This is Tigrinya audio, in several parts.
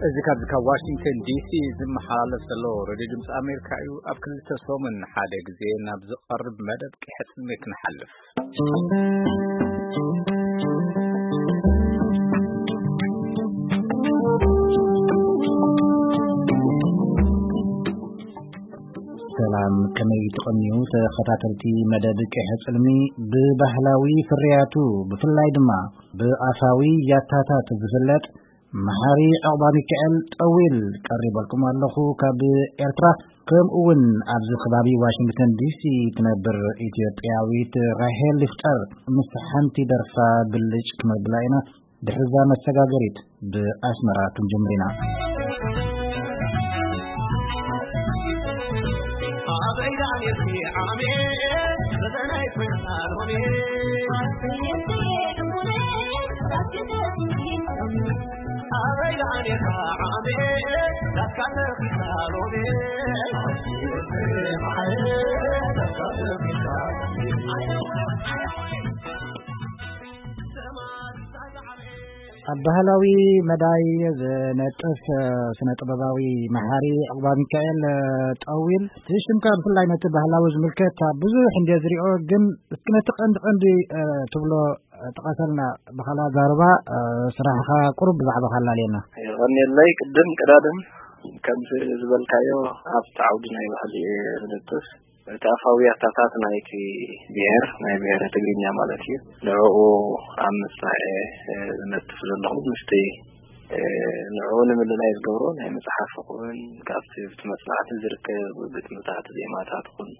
እዚ ካብዚ ካብ ዋሽንግተን ዲሲ ዝመሓላለፍ ዘሎ ሬድዮ ድምፂ ኣሜሪካ እዩ። ኣብ ክልተ ሰሙን ሓደ ግዜ ናብ ዝቐርብ መደብ ቅሕጽልሚ ክንሓልፍ። ሰላም፣ ከመይ ትቐንዩ ተኸታተልቲ መደብ ቅሕጽልሚ? ብባህላዊ ፍርያቱ፣ ብፍላይ ድማ ብኣፋዊ ያታታት ዝፍለጥ መሓሪ ዑቕባ ሚካኤል ጠዊል ቀሪበልኩም ኣለኹ ካብ ኤርትራ። ከምኡ እውን ኣብዚ ከባቢ ዋሽንግተን ዲሲ ትነብር ኢትዮጵያዊት ራሄል ይፍጠር ምስ ሓንቲ ደርፋ ብልጭ ክነብላ ኢና። ድሕሪ እዛ መሰጋገሪት ብኣስመራ ክንጅምር ኢና። ኣብ ባህላዊ መዳይ ዝነጥፍ ስነ ጥበባዊ መሓሪ ዕቑባ ሚካኤል ጠዊል፣ እቲ ሽምካ ብፍላይ ነቲ ባህላዊ ዝምልከት ብዙሕ እንደ ዝሪኦ፣ ግን እስኪ ነቲ ቀንዲ ቀንዲ ትብሎ ጥቀሰልና። ብኻልእ ኣዛርባ ስራሕኻ ቁሩብ ብዛዕባ ካላልየና። የቐንየለይ። ቅድም ቀዳድም ከምዚ ዝበልካዮ ኣብቲ ዓውዲ ናይ ባህሊ እየ ዝነጥፍ። እቲ ኣፋዊ ኣታታት ናይቲ ብሔር፣ ናይ ብሔረ ትግርኛ ማለት እዩ። ንዕኡ ኣብ ምስራሕ እየ ዝነጥፍ ዘለኹ። ምስቲ ንዕኡ ንምልላይ ዝገብሮ ናይ መጽሓፍ ይኹን ካብቲ ብቲ መጽናዕቲ ዝርከብ ግጥምታት፣ ዜማታት ይኹን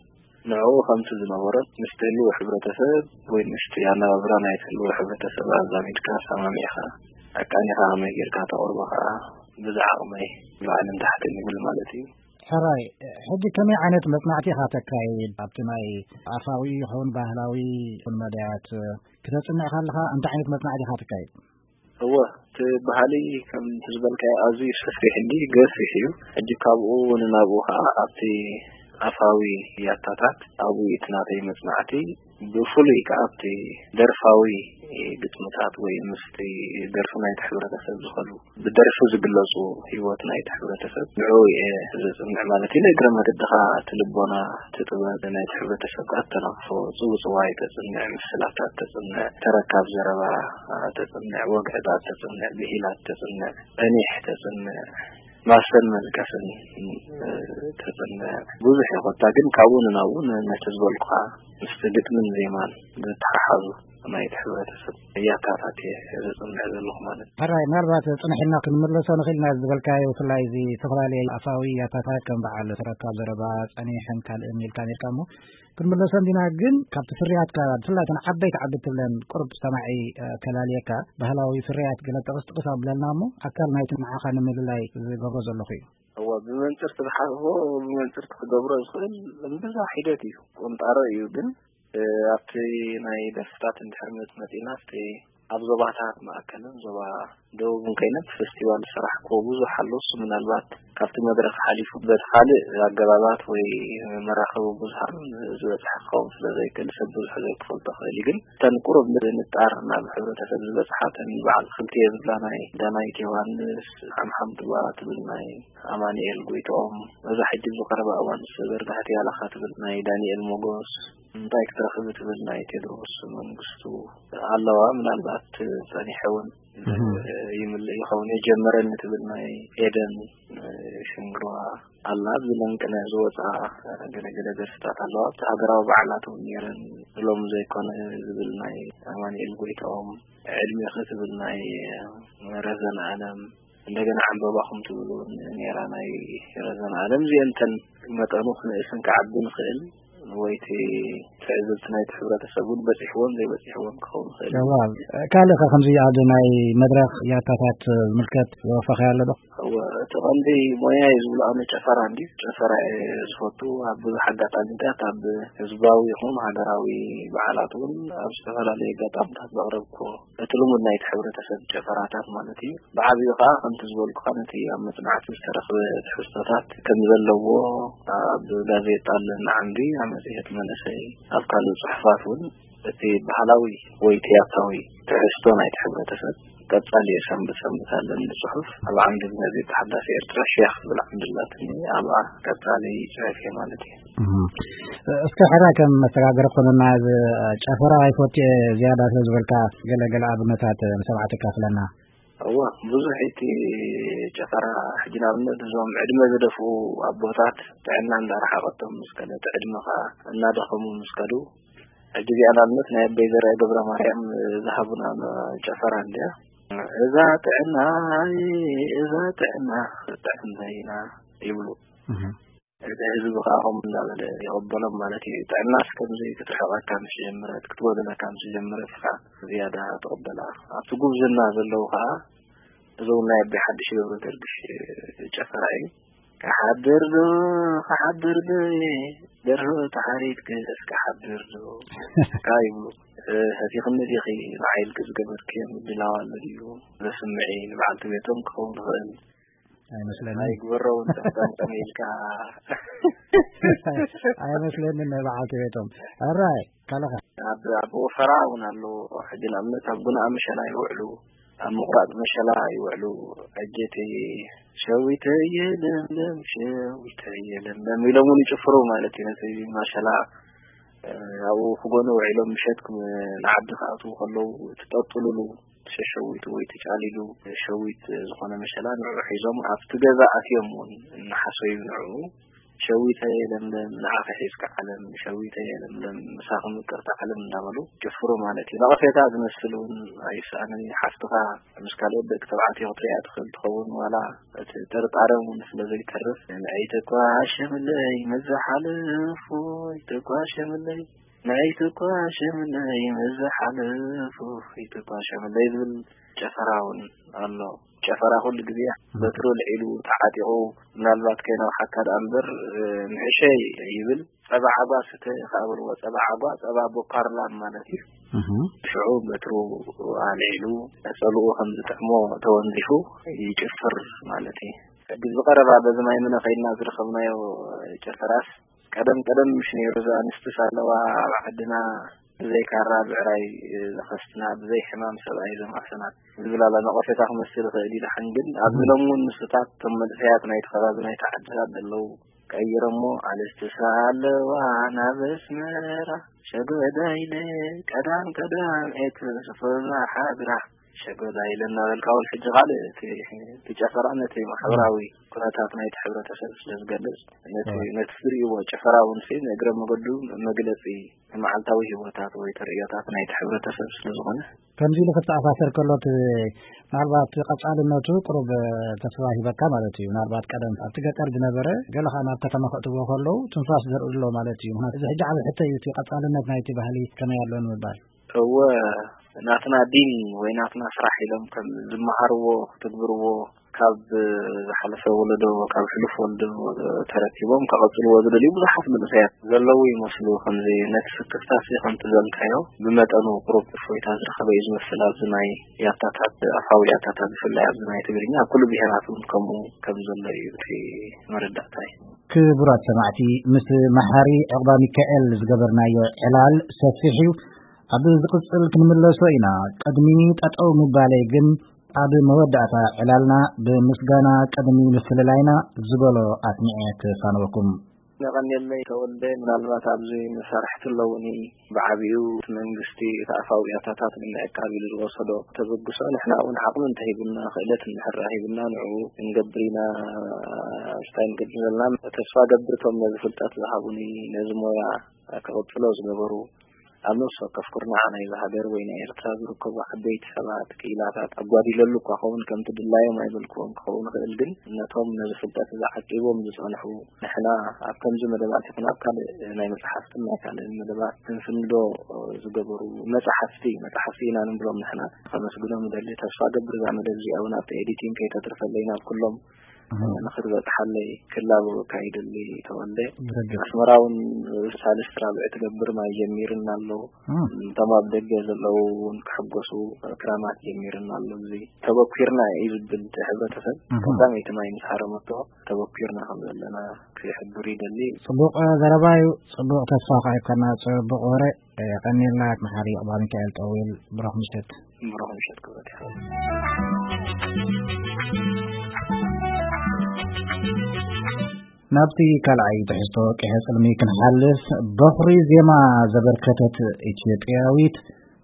ንዕኡ ከምቲ ዝነበሮ ምስቲ ህልው ሕብረተሰብ ወይ ምስቲ ኣነባብራ ናይቲ ህልው ሕብረተሰብ ኣዛሚድካ ሰማሚዕኻ ኣቃኒኻ ከመይ ጌርካ ተቕርቦ ከኣ ብዝዓቕመይ ንላዕልን ታሕትን ይብል ማለት እዩ። ሕራይ፣ ሕጂ ከመይ ዓይነት መጽናዕቲ ኢኻ ተካይድ? ኣብቲ ናይ ኣፋዊ ይኹን ባህላዊ ይኹን መዳያት ክተጽንዕ ከለኻ እንታይ ዓይነት መጽናዕቲ ኢኻ ተካይድ? እወ፣ እቲ ባህሊ ከምቲ ዝበልካዮ ኣዝዩ ሰፊሕ እንዲ ገፊሕ እዩ። ሕጂ ካብኡ ንናብኡ ከኣ ኣብቲ ኣፋዊ ያታታት ኣብኡ እቲ ናተይ መጽናዕቲ ብፍሉይ ከኣ ኣብቲ ደርፋዊ ግጥምታት ወይ ምስቲ ደርፊ ናይቲ ሕብረተሰብ ዝኸዱ ብደርፊ ዝግለጹ ህይወት ናይቲ ሕብረተሰብ ንዕኡ እየ ዘጽንዕ ማለት እዩ። ንእግረ መገዲ ከኣ እቲ ልቦና፣ እቲ ጥበብ ናይቲ ሕብረተሰብ ከኣ ተናቕፎ፣ ጽውጽዋይ ተጽንዕ፣ ምስላታት ተጽንዕ፣ ተረካብ ዘረባ ተጽንዕ፣ ወግዕታት ተጽንዕ፣ ብሂላት ተጽንዕ፣ ጸኒሕ ተጽንዕ፣ ማሰን መልቀስን ተጽንዕ። ብዙሕ እዩ ኮታ፣ ግን ካብኡ ንናብኡ ን-፣ ነቲ ዝበልኩኻ ምስቲ ግጥምን ዜማን ዝተሓሓዙ ናይቲ ሕብረተሰብ ያታታት እየ ዘጽንዕ ዘለኹ ማለት እዩ። ሕራይ፣ ምናልባት ጽንሕ ኢልና ክንምለሶ ንኽእል ኢና ዝበልካዮ፣ ብፍላይ እዚ ዝተፈላለየ ኣፋዊ ያታታት ከም በዓል ተረካብ ዘረባ፣ ጸኒሕን ካልእን ኢልካ ነርካ እሞ ክንምለሶ እንዲና። ግን ካብቲ ፍርያትካ ብፍላይ እተን ዓበይቲ ዓበይቲ ትብለን ቁሩብ ሰማዒ፣ እ፣ ከላልየካ፣ ባህላዊ ፍርያት ገለ ጥቕስ ጥቕስ ኣብለልና እሞ ኣካል ናይቲ ንዓኻ ንምልላይ ዝገብሮ ዘለኹ እዩ። እወ፣ ብመንጽር እቲ ዝሓስቦ ብመንጽር እቲ ክገብሮ ዝኽእል እምብዛ ሒደት እዩ። ቁንጣሮ እዩ ግን፣ እ፣ ኣብቲ ናይ ደርፍታት እንድሕር መጽ-፣ መጺእና፣ ኣብቲ ኣብ ዞባታት ማእከልን ዞባ ደቡብን ከይነ፣ ኣብቲ ፈስቲቫል ዝሰራሕክዎ ብዙሕ ኣሎ። እሱ ምናልባት ካብቲ መድረኽ ሓሊፉ በቲ ካልእ ኣገባባት ወይ መራኸቢ ብዙሃን ዝበጽሐ ክኸውን ስለ ዘይክእል፣ ሰብ ብዙሕ ዘይክፈልጦ ክእል እዩ። ግን እተን ቁሩብ ንጣር ናብ ሕብረተሰብ ዝበጽሓ፣ እተን በዓል ክልቲኤ ዝብላ ናይ ዳናይት ዮሃንስ፣ ሓምሓም ጡባ ትብል ናይ ኣማኑኤል ጎይትኦም፣ እዛ ሕጂ ኣብዚ ቀረባ እዋን ዝተዘርግሐት ያላኻ ትብል ናይ ዳንኤል ሞጎስ፣ እንታይ ክትረኽቢ ትብል ናይ ቴድሮስ መንግስቱ ኣለዋ። ምናልባት ጸኒሐ እውን እህ። ይምልእ ይኸውን። የጀመረኒ ትብል ናይ ኤደን ሽንግርዋ ኣላ። ኣብዚ ለንቅነ ዝወፅኣ ገለገለ ደርፍታት ኣለዋ። ኣብቲ ሃገራዊ በዓላት እውን ነይረን። ሎም ዘይኮነ ዝብል ናይ ኣማኑኤል ጎይትኦም፣ ዕድሜኺ ትብል ናይ ረዘን ኣለም፣ እንደገና ዕምበባኹም ትብል እውን ነይራ ናይ ረዘን ኣለም። እዚአን እተን መጠኑ ክንእስን ክዓቢ ንኽእል ወይ እቲ ትዕዝብቲ ናይቲ ሕብረተሰብ እውን በፂሕዎም ዘይበፂሕዎም ክኸውን ይኽእል እዩ። እዋ፣ ካልእ ኸ ከምዚ ኣብ ናይ መድረኽ ያታታት ዝምልከት ዘወፈኸ ኣሎ ዶ? እወ፣ እቲ ቀንዲ ሞያ እዩ ዝብሎ ኣነ ጨፈራ እንድዩ። ጨፈራ እየ ዝፈቱ። ኣብ ብዙሕ ኣጋጣሚታት ኣብ ህዝባዊ ይኹን ሃገራዊ በዓላት እውን ኣብ ዝተፈላለዩ ኣጋጣሚታት ዘቕረብኩዎ እቲ ልሙድ ናይቲ ሕብረተሰብ ጨፈራታት ማለት እዩ። ብዓቢኡ ኸዓ ከምቲ ዝበልኩኻ ነቲ ኣብ መጽናዕቲ ዝተረኽበ ትሕዝቶታት ከም ዘለዎ ኣብ ጋዜጣ ኣለና ዓምዲ፣ ኣብ መጽሔት መንእሰይ፣ ኣብ ካልእ ጽሑፋት እውን እቲ ባህላዊ ወይ ትያትራዊ ትሕዝቶ ናይቲ ሕብረተሰብ ቀጻሊ ሰንበት ሰንበት ኣለኒ ጽሑፍ። ኣብ ዓምዲ እግዚኣብሔር ተሓዳሲ ኤርትራ ሸያኽ ዝብል ዓምዲ ኣላትኒ። ኣብኣ ቀጻሊ ጽሑፍ እየ ማለት እዩ። እህ። እስከ ሕራ ከም መሰጋገሪ ኮኑና፣ እዚ ጨፈራ ኣይፈቱ እየ ዝያዳ ስለ ዝበልካ፣ ገለ ገለ ኣብነታት ንሰማዕቲ ካፍለና። እወ፣ ብዙሕ እቲ ጨፈራ፣ ሕጂ ንኣብነት እዞም ዕድመ ዝደፍኡ ኣቦታት ጥዕና እንዳረሓቐቶም ምስ ከደ፣ እቲ ዕድመ ኸኣ እናደኸሙ ምስ ከዱ፣ ሕጂ እዚኣ ንኣብነት ናይ ኣቦይ ዘርአ ገብረ ማርያም ዝሃቡና ጨፈራ እንድያ። "እዛ ጥዕና፣ እዛ ጥዕና፣ ጥዕና ኢና" ይብሉ። እህ። እቲ ህዝቢ ኸኣ ከምኡ እንዳበለ ይቕበሎም ማለት እዩ። ጥዕናስ ከምዚ ክትርሕቐካ ምስ ጀመረት፣ ክትጎድለካ ምስ ጀመረት ኢኻ ዝያዳ ትቕበላ። ኣብቲ ጉብዝና ዘለዉ ኸኣ፣ እዚ እውን ናይ ኣቦይ ሓድሽ ገብረገርግሽ ጨፈራ እዩ። "ክሓድር ዶ፣ ክሓድር ዶ፣ ደርሆ ተሓሪድክስ ክሓድር ዶ?" ከኣ ይብሉ። "እ፣ ሰቲኽኒ ዲኺ ንዓይ ኢልኪ ዝገበርክዮ ምድላው ኣሎ ድዩ?" ዘስምዒ ንበዓልቲ ቤቶም ክኸውን ይኽእል። ኣይመስለንን። ኣይግበሮ እውን ጠምጠም ኢልካ። ኣይመስለንን ናይ በዓልቲ ቤቶም። ሕራይ፣ ካልኻ? ኣብ፣ ኣብ ወፈራ እውን ኣሎ። ሕጂ ንኣብነት ኣብ ጉንኣ መሸላ ይውዕሉ፣ ኣብ ምቑራጽ መሸላ ይውዕሉ። "ኣጀተየ ሸዊተየ ለምለም፣ ሸዊተየ ለምለም" ኢሎም እውን ይጭፍሩ ማለት እዩ። ነቲ መሸላ፣ እ፣ ኣብኡ ክጎኑ ውዒሎም ምሸት ክም-፣ ንዓዲ ክኣትዉ ከለዉ ትጠጥሉሉ ሸዊት ወይ ተጫሊሉ ሸዊት ዝኾነ መሸላ ንዕኡ ሒዞም ኣብቲ ገዛ ኣትዮም እውን እናሓሰዩ ንዕኡ "ሸዊተየ ለምለም፣ ንዓኺ ሒዝካ ዓለም፣ ሸዊተየ ለምለም፣ ምሳኺ ምቅርቲ ዓለም" እንዳበሉ ጭፍሩ ማለት እዩ። ነቐፌታ ዝመስል እውን ኣይሰኣንን እዩ። ሓፍትኻ ምስ ካልኦት ደቂ ተባዕትዮ ክትሪኣ ትኽእል ትኸውን፣ ዋላ እቲ ጥርጣረ እውን ስለ ዘይተርፍ፣ "ንዒ ትኳሸምለይ ምስ ዝሓለፉ፣ ይትኳሸምለይ፣ ንዒ ትኳሸምለይ ምስ ዝሓለፉ፣ ይትኳሸምለይ" ዝብል ጨፈራ እውን ኣሎ። ጨፈራ ኩሉ ግዜ በትሩ ልዒሉ ተዓጢቑ፣ ምናልባት ከይነውሓካ ደኣ እምበር፣ እ፣ ንእሸይ ይብል። "ጸባ ዓጓ ስተ" ከኣ በልዎ። ጸባ ዓጓ፣ ጸባ ቦካርላም ማለት እዩ። እህ። ሽዑ በትሩ ኣልዒሉ፣ ነጸልኡ ከም ዝጥዕሞ ተወንዚፉ ይጭፍር ማለት እዩ። ሕጂ ብቐረባ በዚ ማይ ምነ ከይድና ዝረኸብናዮ ጨፈራስ፣ ቀደም ቀደም ምሽ ነይሩ፣ እዛ ኣንስትስ ኣለዋ ኣብ ዓድና፣ ብዘይ ካራ ብዕራይ ዘኸስትና፣ ብዘይ ሕማም ሰብኣይ ዘማሕሰና ዝብል ኣላ። ነቐፌታ ክመስል ይኽእል እዩ ደሓን፣ ግን ኣብዚ ሎሚ እውን ንስታት እቶም መንእሰያት ናይቲ ከባቢ ናይቲ ዓድታት ዘለዉ ቀይሮሞ፣ ኣንስትስ ኣለዋ ናብ ኣስመራ፣ ሸጎዳ ኢለ ቀዳም ቀዳም ኤት ስፍራ ሓድራ፣ ሸጎዳ ኢለ እናበልካ እውን ሕጂ ካልእ እቲ፣ እቲ ጨፈራ ነቲ ማሕበራዊ ኩነታት ናይቲ ሕብረተሰብ ስለ ዝገልጽ፣ ነቲ፣ እወ። ነቲ ዝርእይዎ ጭፈራ እውን ሲ ንእግረ መገዱ መግለጺ መዓልታዊ ህይወታት ወይ ተርእዮታት ናይቲ ሕብረተሰብ ስለ ዝኾነ። ከምዚ ኢሉ ክተኣሳሰር ከሎ፣ እቲ ምናልባት ቀጻልነቱ ቁሩብ ተስፋ ሂበካ ማለት እዩ። ምናልባት ቀደም ኣብቲ ገጠር ዝነበረ ገለ ኸኣ ናብ ከተማ ከእትዎ ከለዉ ትንፋስ ዘርእሎ ማለት እዩ። ምኽንያቱ እዚ ሕጂ ዓቢ ሕቶ እዩ፣ እቲ ቀጻልነት ናይቲ ባህሊ ከመይ ኣሎ ንምባል። እወ፣ ናትና ዲን ወይ ናትና ስራሕ ኢሎም ከም ዝመሃርዎ ክትግብርዎ፣ ካብ ዝሓለፈ ወለዶ፣ ካብ ሕሉፍ ወለዶ ተረኪቦም ከቐጽልዎ ዝደልዩ ብዙሓት መንእሰያት ዘለዉ ይመስሉ። ከምዚ ነቲ ስክፍታሲ ከምቲ ዘልካዮ ብመጠኑ ቁሩብ እፎይታ ዝረኸበ እዩ ዝመስል። ኣብዚ ናይ ያታታት፣ ኣፋዊ ያታታት ብፍላይ ኣብዚ ናይ ትግርኛ፣ ኣብ ኩሉ ብሄራት እውን ከምኡ ከም ዘሎ እዩ እቲ መረዳእታይ። ክቡራት ሰማዕቲ፣ ምስ መሓሪ ዕቑባ ሚካኤል ዝገበርናዮ ዕላል ሰፊሕ እዩ። ኣብ ዝቕጽል ክንምለሶ ኢና። ቅድሚ ጠጠው ምባለይ ግን፣ ኣብ መወዳእታ ዕላልና ብምስጋና ቅድሚ ምፍልላይና ዝበሎ ኣስሚዐ ክፋነወኩም። ነቐንየለይ ተወልደ፣ ምናልባት ኣብዚ መሳርሕቲ ኣለዉኒ። ብዓቢኡ እቲ መንግስቲ እቲ ኣፋዊ ያታታት ንምዕቃብ ኢሉ ዝወሰዶ ተበግሶ፣ ንሕና እውን ዓቕሚ እንተሂቡና፣ ክእለት እንድሕር ሂቡና፣ ንዕኡ ክንገብር ኢና። ስታይ ንቅድም ዘለና ተስፋ ገብር፣ እቶም ነዚ ፍልጠት ዝሃቡኒ፣ ነዚ ሞያ ክቕጽሎ ዝገበሩ፣ ኣብ ነፍሲ ወከፍ ኩርናዕ ናይዛ ሃገር ወይ ናይ ኤርትራ ዝርከቡ ዓበይቲ ሰባት፣ ክኢላታት፣ ኣጓዲለሉ እኳ ኸውን፣ ከምቲ ድላዮም ኣይበልክዎን ክኸውን ይኽእል፣ ግን ነቶም ነዚ ፍልጠት እዚ ዓቂቦም ዝጸንሑ፣ ንሕና ኣብ ከምዚ መደባት ይኹን ኣብ ካልእ ናይ መጽሓፍትን ናይ ካልእን መደባት ክንስንዶ ዝገበሩ መጽሓፍቲ፣ መጽሓፍቲ ኢና ንብሎም ንሕና፣ ከመስግኖም እደሊ። ተስፋ ገብር እዛ መደብ እዚኣ እውን ኣብቲ ኤዲቲንግ ከይተትርፈለይ ናብ ኩሎም ንኽትበጽሓለይ ክላቦ ኣካይደሊ ተወልደ። ኣስመራ እውን ሳልስቲ ራብዒ ትገብር ማይ ጀሚርና ኣለዉ። እቶም ኣብ ደገ ዘለዉ እውን ክሕጎሱ ክራማት ጀሚርና ኣሎ። እዚ ተበኲርና እዩ ዝብል እቲ ሕብረተሰብ ቀዳመይቲ ማይ ምስ ሃረመቶ ተበኲርና ከም ዘለና ክሕብር ይደሊ። ጽቡቕ ዘረባ እዩ። ጽቡቕ ተስፋ ከኣ ይብከና። ጽቡቕ ወረ። የቐንየልና። መሓሪ ኣባ ሚካኤል ጠዊል። ብሩኽ ምሸት። ብሩኽ ምሸት ክብረት ይኸ ናብቲ ካልኣይ ትሕዝቶ ቀይሐ ጽልሚ ክንሓልፍ፣ በኹሪ ዜማ ዘበርከተት ኢትዮጵያዊት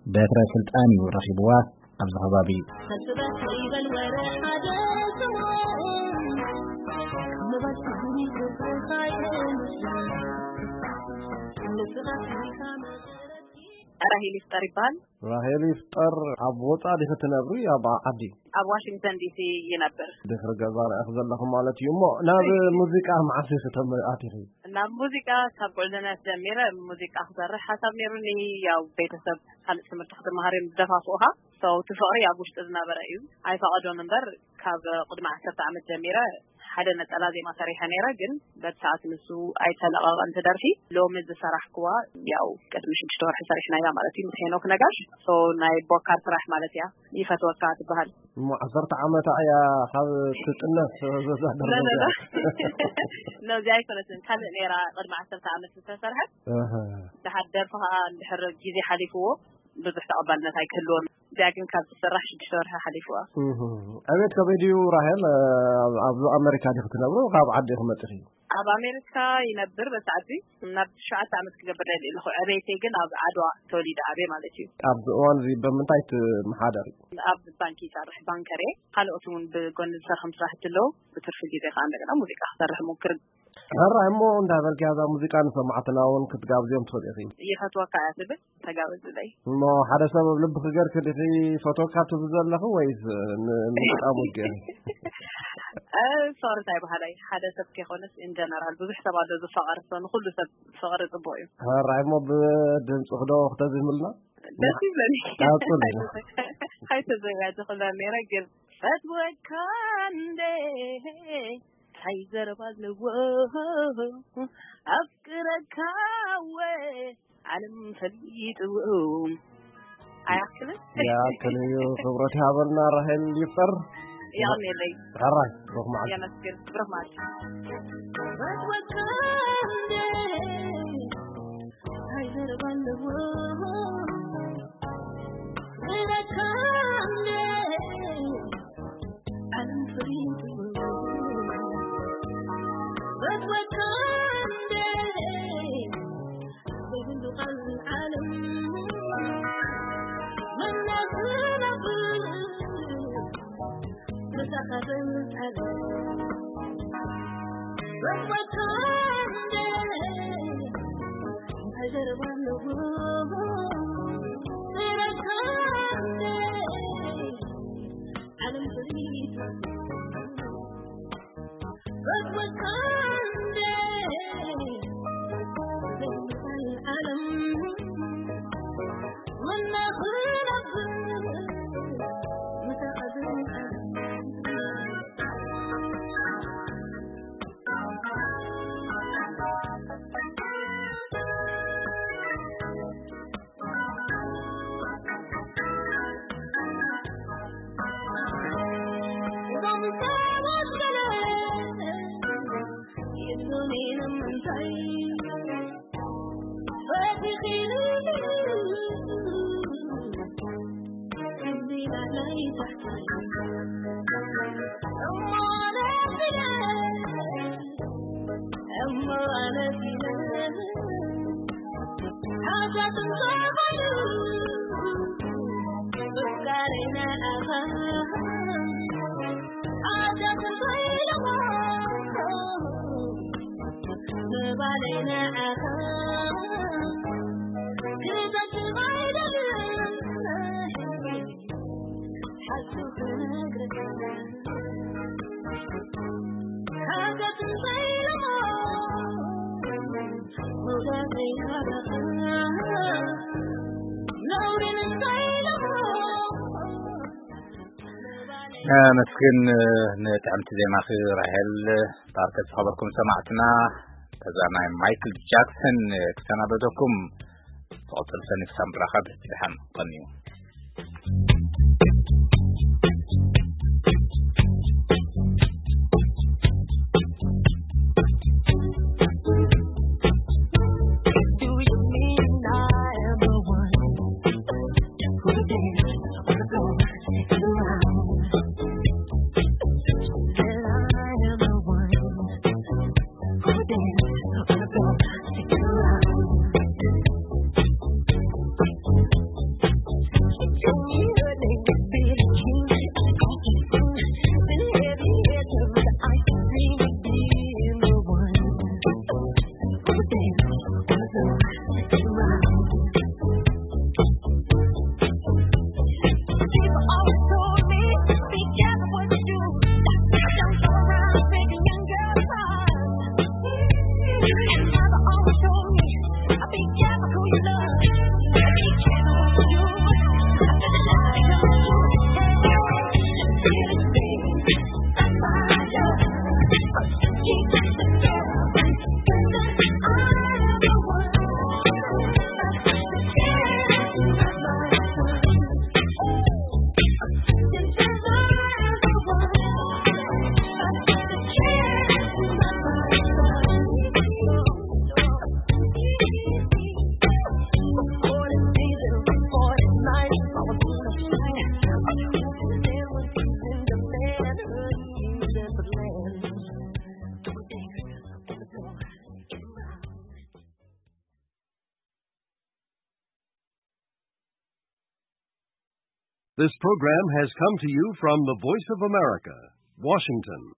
በትረ ስልጣን እዩ ረኺብዋ ኣብዚ ከባቢ። ራሄል ይፍጠር ይበሃል። ራሄል ይፍጠር፣ ኣብ ወጻኢ ዲኺ ትነብሪ ኣብ ዓዲ? ኣብ ዋሽንግተን ዲሲ ይነብር። ድሕሪ ገዛ ርኢኺ ዘለኹ ማለት እዩ። እሞ ናብ ሙዚቃ መዓስ ኢኺ ተም-፣ ኣቲኺ? ናብ ሙዚቃ ካብ ጉዕዞና ጀሚረ ሙዚቃ ክሰርሕ ሓሳብ ነይሩኒ። ያው ቤተሰብ ካልእ ትምህርቲ ክትመሃር እዮም ዝደፋፍኡኻ። ሰው እቲ ፍቕሪ ኣብ ውሽጢ ዝነበረ እዩ፣ ኣይፈቐዶን እምበር ካብ ቅድሚ ዓሰርተ ዓመት ጀሚረ ሓደ ነጸላ ዜማ ሰሪሐ ነይረ፣ ግን በቲ ሰዓት ንሱ ኣይተለቐቐን እቲ ደርፊ። ሎሚ ዝሰራሕክዋ ያው ቅድሚ ሽዱሽተ ወርሒ ሰሪሕናያ ማለት እዩ ምስ ሄኖክ ነጋሽ። ሶ ናይ ቦካር ስራሕ ማለት እያ። ይፈትወካ ትበሃል። እሞ ዓሰርተ ዓመታ እያ ካብ ትጥነስ ዘዛ ለ፣ ለ፣ ለ። ደረጃ። ነዚ ኣይኮነትን፣ ካልእ ነይራ ቅድሚ ዓሰርተ ዓመት ዝተሰርሐት። ኣሃ። ድሓር ደርፊ ኸኣ እንድሕር ግዜ ሓሊፍዎ ብዙሕ ተቐባልነት ኣይክህልዎን። እዚኣ ግን ካብ ትስራሕ ሽዱሽተ ወርሒ ሓሊፍዋ። እህ። ዕቤት ከመይ ድዩ ራሄል? ኣብ፣ ኣብ ኣሜሪካ ዲኺ ትነብሪ? ካብ ዓዲ ኢኺ መጺኺ? ኣብ ኣሜሪካ ይነብር በቲ ዓዲ። ናብ ትሽዓተ ዓመት ክገብር ደልየ ኣለኹ። ዕቤተይ ግን ኣብ ዓድዋ ተወሊደ ዓብየ ማለት እዩ። ኣብዚ እዋን እዚ ብምንታይ ትመሓደሪ? ኣብ ባንኪ ይሰርሕ፣ ባንከር እየ። ካልኦት እውን ብጎኒ ዝሰርሖም ስራሕቲ ኣለዉ። ብትርፊ ግዜ ከዓ እንደገና ሙዚቃ ክሰርሕ ሞክር። ሕራይ እሞ እንዳበልኪ እዛ ሙዚቃ ንሰማዕትና እውን ክትጋብዝዮም ትኽእሊ ኢኺ። ይፈትወካ እያ ትብል፣ ተጋበዝለይ። እሞ ሓደ ሰብ ኣብ ልብኺ ገርኪ ዲኺ ፈትወካ ትብሊ ዘለኺ ወይስ ን-፣ ንምግጣም ወጊኺ? እ፣ ፍቕሪ እንታይ በሃላይ? ሓደ ሰብ ከይኮነስ ኢን ጀነራል ብዙሕ ሰብ ኣሎ ዝፋቐር፣ ሰው ንኹሉ ሰብ ፍቕሪ ጽቡቕ እዩ። ሕራይ እሞ ብድምፅኺ ዶ ክተዝህምልና? ደስ ይብለኒ። ቀጽሊ። ኣይተዘጋጀኹላን ነይረ ግን ፈትወካ እንዴ እንታይ ዘረባ ኣለዎ ኣፍቅረካ ወ ዓለም ፈሊጥዎ። ኣይኣክልን? ይኣክል እዩ። ክብረት ይሃበልና ራሄል ይፍጠር። የቐንየለይ። ሕራይ፣ ብሩኽ መዓልቲ። የመስግን። ብሩኽ መዓልቲ። ፈትወካ እንዴ እንታይ ዘረባ ኣለዎ ኣፍቅረካ እንዴ ዓለም ፈሊጥዎ። ፈትወካ እንዴ ዘይብሉ ቃል ዓለም መናኽነብ ምሳኻ ዘምጻለ። ፈትወካ እንዴ እንታይ ዘረባ ኣለዎ? ፍቅረካ እንዴ ዓለም ፈሊጥዎ። ኣመስግን ንጥዕምቲ ዜማኺ ራሄል ባርከ። ዝኸበርኩም ሰማዕትና፣ ከዛ ናይ ማይክል ጃክሰን ክሰናበተኩም። ዝቐጽል ሰኒ ክሳብ ንራኸብ ብድሓን ቀንዩ። This program has come to you from the Voice of America, Washington.